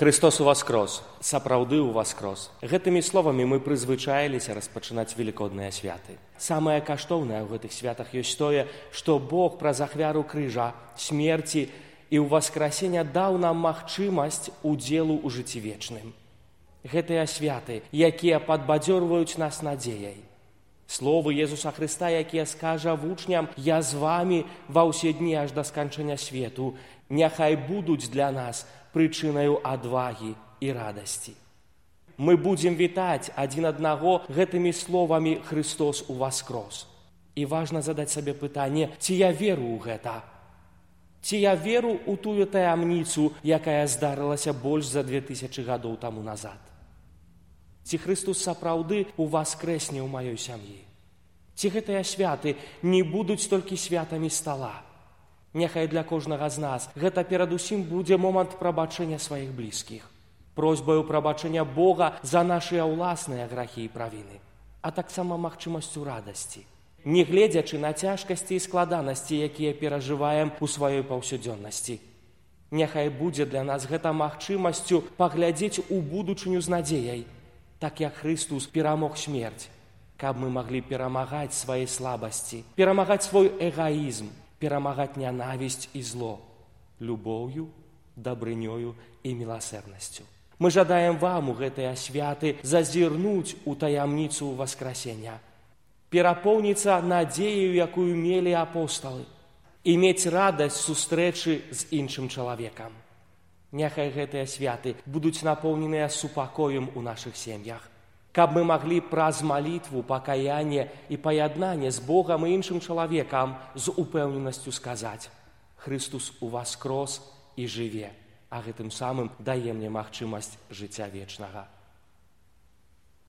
Христос уваскрос, сапраўды уваскрос. Гэтымі словамі мы прызвычаіліся распачынаць велікодныя святы. Самае каштоўнае ў гэтых святах ёсць тое, што Бог праз ахвяру крыжа, смерці і ўваскрасення даў нам магчымасць удзелу ў жыцці вечным. Гэтыя святы, якія падбадзёрваюць нас надзеяй. Словы Езуса Хрыста, якія скажа вучням: «Я з вамі ва ўсе дні аж да сканчэння свету», няхай будуць для нас прычынаю адвагі і радасці. Мы будзем вітаць адзін аднаго гэтымі словамі «Христос уваскрос». І важна задаць сабе пытанне, ці я веру ў гэта? Ці я веру ў тую таямніцу, якая здарылася больш за 2000 гадоў таму назад? Ці Христос сапраўды уваскрэсне ў маёй сям'і? Ці гэтыя святы не будуць толькі святамі стала? Няхай для кожнага з нас гэта перадусім будзе момант прабачэння сваіх блізкіх, просьбаю прабачэння Бога за нашыя ўласныя грахі і правіны, а таксама магчымасцю радасці, не гледзячы на цяжкасці і складанасці, якія перажываем у сваёй паўсядзённасці. Няхай будзе для нас гэта магчымасцю паглядзець у будучыню з надзеяй, так як Христос перамог смерць, каб мы маглі перамагаць свае слабасці, перамагаць свой эгаізм, перамагаць нянавісць і зло любоўю, дабрынёю і міласэрнасцю. Мы жадаем вам у гэтыя святы зазірнуць у таямніцу васкрасення, перапоўніцца надзеяю, якую мелі апосталы, і мець радасць сустрэчы з іншым чалавекам. Няхай гэтыя святы будуць напоўненыя супакоем у нашых сем'ях, каб мы маглі праз малітву, пакаянне і паяднанне з Богам і іншым чалавекам з упэўненасцю сказаць: «Христос уваскрос і жыве», а гэтым самым дае мне магчымасць жыцця вечнага.